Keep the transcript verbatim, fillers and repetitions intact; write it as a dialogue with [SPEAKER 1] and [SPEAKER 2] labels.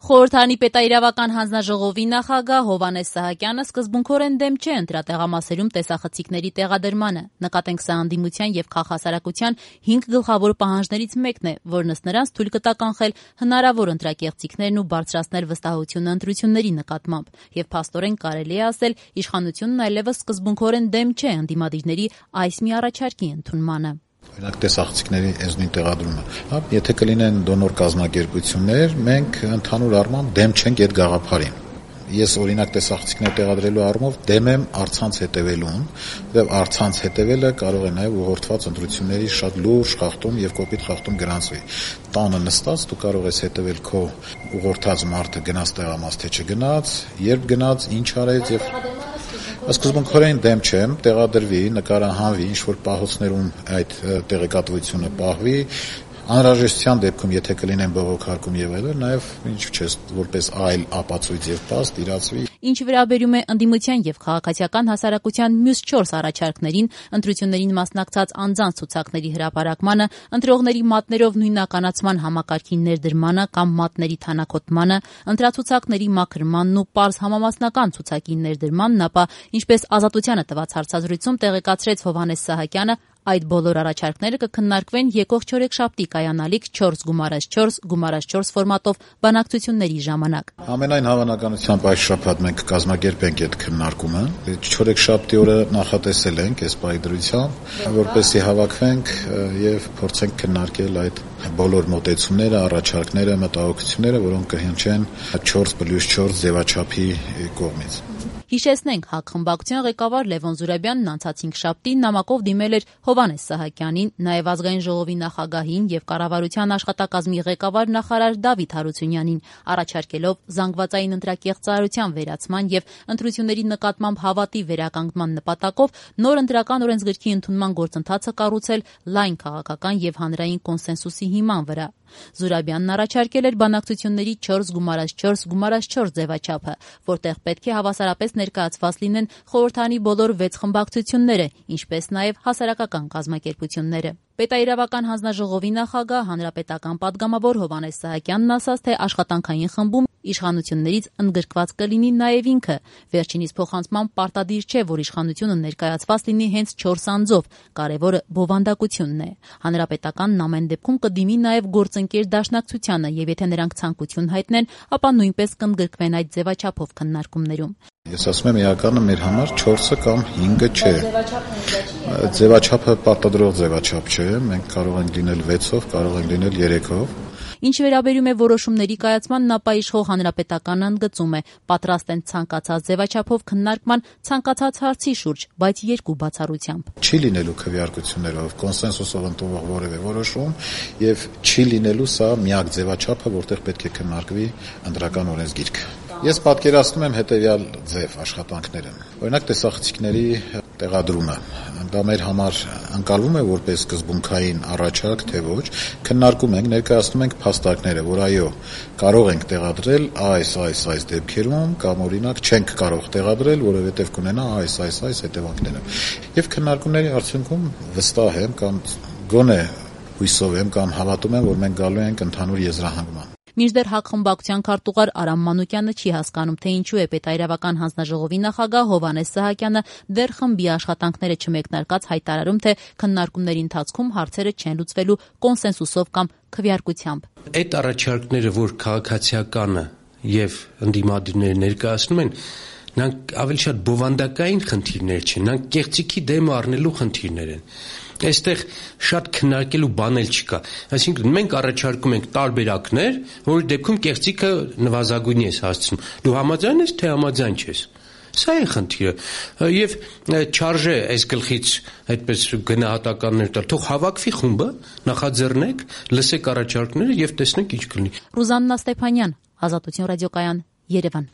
[SPEAKER 1] Խորհրդարանի պետաիրավական հանձնաժողովի նախագահ Հովհաննես Սահակյանը սկզբունքորեն դեմ չէ ընտրատեղամասերում տեսախցիկների տեղադրմանը։ Նկատենք սա անդիմության եւ քաղաքասարակության հինգ գլխավոր պահանջներից մեկն է, որն ըստ նրանց թույլ կտա կանխել հնարավոր ընտրակեղծիքներն ու բարձրացնել վստահությունը ընտրությունների նկատմամբ։ Եվ փաստորեն կարելի է ասել, իշխանությունն այլևս սկզբունքորեն դեմ չէ ընդդիմադիրների այս մի առաջարկի ընդունմանը։
[SPEAKER 2] Օրինակ տեսախցիկների էզնին տեղադրումը, հա, եթե կլինեն դոնոր կազմակերպություններ, մենք ընդհանուր առմամբ դեմ չենք այդ գաղափարին։ Ես օրինակ տեսախցիկներ տեղադրելու առումով դեմ եմ առցանց հետևելուն, որտեղ առցանց հետևելը կարող է նաև ուղղորդված ընտրությունների շատ լուրջ խախտում եւ կոպիտ խախտում գրանցվի։ Տանը նստած դու կարող ես հետևել քո ուղղորդած մարդը գնաց տեղամաս թե չգնաց, երբ գնաց, ինչ արեց եւ Սկզբունքորեն դեմ չեմ, տեղադրվի, նկարահանվի, ինչ-որ պահոցներում այդ տեղեկատվությունը պահվի, անհրաժեշտության դեպքում, եթե կլինեն բողոքարկում եւ այլն, նաեւ ինչ չես որպես այլ ապացույց եւ փաստ իրացվի։
[SPEAKER 1] Ինչ վերաբերում է ընդդիմության եւ քաղաքացիական հասարակության մյուս չորս առաջարկներին, ընտրություններին մասնակցած անձանց ցուցակների հրապարակմանը, ընտրողների մատներով նույնականացման համակարգի ներդրմանը կամ մատների թանաքոտմանը, ընտրացուցակների մաքրմանն ու պարզ համամասնական ցուցակի ներդրմանն, ապա ինչպես Ազատությանը տված հարցազրույցում տեղեկացրեց Հովհաննես Սահակյանը, այդ բոլոր առաջարկները կքննարկվեն եկող չորեքշաբթի կայանալիք չորս գումարած չորս գումարած չորս ֆորմատով բանակցությունների ժամանակ։
[SPEAKER 2] Ամենայն հավանականությամբ այս շաբաթ մենք կկազմակերպենք այդ քննարկումը։ Չորեքշաբթի օրը նախատեսել ենք այս պայդրությամբ, որպեսզի հավաքվենք եւ փորձենք քննարկել այդ բոլոր մոտեցումները, առաջարկները, մտահոգությունները, որոնք կհնչեն չորս պլյուս չորս ձևաչափի կողմից։
[SPEAKER 1] Հիշեցնենք, ՀԱԿ խմբակցության ղեկավար Լևոն Զուրաբյանն անցած հինգշաբթի նամակով դիմել էր Հովհաննես Սահակյանին, նաև Ազգային ժողովի նախագահին եւ կառավարության աշխատակազմի ղեկավար նախարար Դավիթ Հարությունյանին, առաջարկելով զանգվածային ընտրակեղծարարության վերացման եւ ընտրությունների նկատմամբ հավատի վերականգնման նպատակով նոր ընտրական օրենսգրքի ընդունման գործընթացը կառուցել լայն քաղաքական եւ հանրային կոնսենսուսի հիման վրա։ Զուրաբյանն առաջարկել էր բանակցությունների չորս գումարած չորս գումարած չորս ձևաչափը, որտեղ պետք է հավասարապես ներկայացված լինեն խորհրդանի բոլոր վեց խմբակցությունները, ինչպես նաև հասարակական կազմակերպությունները։ Պետաիրավական հանձնաժողովի նախագահ հանրապետական պատգամավոր Հովհաննես Սահակյանն ասաց, թե աշխատանքային խմբում իշխանություններից ընդգրկված կլինի նաև ինքը։ Վերջինիս փոխանցման պարտադիր չէ, որ իշխանությունը ներկայացված լինի հենց չորս անձով, կարևորը բովանդակությունն է։ Հանրապետականն ամեն դեպքում կդիմի նաև գործընկեր դաշնակցությանը եւ եթե նրանք ցանկություն հայտնեն, ապա նույնպես կընդգրկվեն այդ ձևաչափով քննարկումներում։
[SPEAKER 2] Ես ասում եմ, իրականը մեր համար չորսը կամ հինգը չէ։ Ձևաչափը պարտադրող ձևաչափ չէ, մենք կարող ենք լինել վեցով, կարող ենք լինել երեքով։
[SPEAKER 1] Ինչ վերաբերում է որոշումների կայացմանն, ապա իշխող հանրապետականն ընդգծում է, պատրաստ են ցանկացած ձևաչափով քննարկման ցանկացած հարցի շուրջ, բայց երկու բացառությամբ։
[SPEAKER 2] Չի լինելու քվեարկություններով, կոնսենսուսով ընդունվող որևէ որոշում եւ չի լինելու սա միակ ձևաչափը, որտեղ պետք է քննարկվի ընտրական օրենսգիրքը։ Ես պատկերացնում եմ հետեւյալ ձև աշխատանքները։ Օրինակ տեսախցիկների տեղադրումը։ Դա մեր համար ընկալվում է որպես սկզբունքային առաջարկ, թե ոչ, քննարկում ենք, ներկայացնում ենք փաստարկները, որ այո, կարող ենք տեղադրել այս, այս, այս դեպքերում կամ օրինակ չենք կարող տեղադրել, որովհետև կունենա այս, այս, այս հետևանքները։ Եվ քննարկումների արդյունքում վստահ եմ կամ գոնե հույսով եմ կամ հավատում եմ, որ մենք գալու ենք ընդհանուր եզրահանգման։
[SPEAKER 1] Մինչդեռ ՀԱԿ խմբակցության քարտուղար Արամ Մանուկյանը չի հասկանում, թե ինչու է պետաիրավական հանձնաժողովի նախագահ Հովհաննես Սահակյանը դեռ խմբի աշխատանքները չմեկնարկած հայտարարում, թե քննարկումների ընթացքում հարցերը չեն լուծվելու կոնսենսուսով կամ քվեարկությամբ։
[SPEAKER 3] Այդ առաջարկները, որ քաղաքացիականը եւ ընդդիմադիրները ներկայացնում են, նրանք ավելի շատ բովանդակային խնդիրներ չեն, նրանք կեղծիքի դեմ առնելու խնդիրներ են։ Այստեղ շատ քննարկելու բան էլ չկա։ Այսինքն մենք առաջարկում ենք տարբերակներ, որի դեպքում կեղծիքը նվազագույնի ես հասցնում։ Դու համաձայն ես, թե համաձայն չես։ Սա է խնդիրը։ Եվ չարժե այս գլխից այդպես գնահատականներ տալ։ Թող հավաքվի խումբը, նախաձեռնեք, լսեք առաջարկները եւ տեսնենք ինչ կլինի։
[SPEAKER 1] Ռուզաննա Ստեփանյան, Ազատություն ռադիոկայան, Երևան։